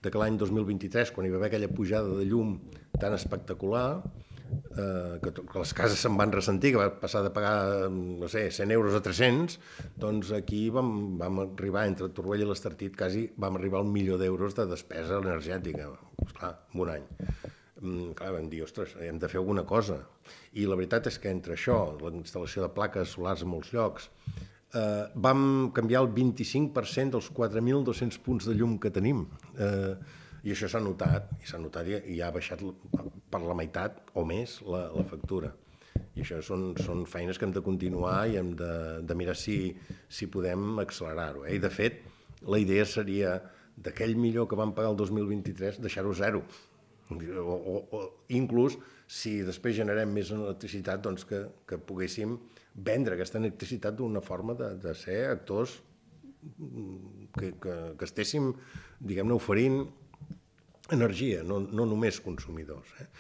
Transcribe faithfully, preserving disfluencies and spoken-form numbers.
de que l'any dos mil vint-i-tres, quan hi va haver aquella pujada de llum tan espectacular, eh, que, que les cases se'n van ressentir, que va passar de pagar, no sé, cent euros a tres-cents, doncs aquí vam, vam arribar, entre Torroella i l'Estartit, quasi vam arribar al milió d'euros de despesa energètica, esclar, en un any. Mm, clar, vam dir, ostres, hem de fer alguna cosa. I la veritat és que entre això, la instal·lació de plaques solars en molts llocs, eh, vam canviar el vint-i-cinc per cent dels quatre mil dos-cents punts de llum que tenim. Eh, I això s'ha notat, i s'ha notat i, i ha baixat per la meitat o més la, la factura. I això són, són feines que hem de continuar i hem de, de mirar si, si podem accelerar-ho. Eh? I de fet, la idea seria d'aquell millor que vam pagar el dos mil vint-i-tres, deixar-ho zero. O, o, o inclús, si després generem més electricitat, doncs que, que poguéssim vendre aquesta electricitat d'una forma de, de ser actors que, que, que estéssim, diguem-ne, oferint energia, no, no només consumidors. Eh?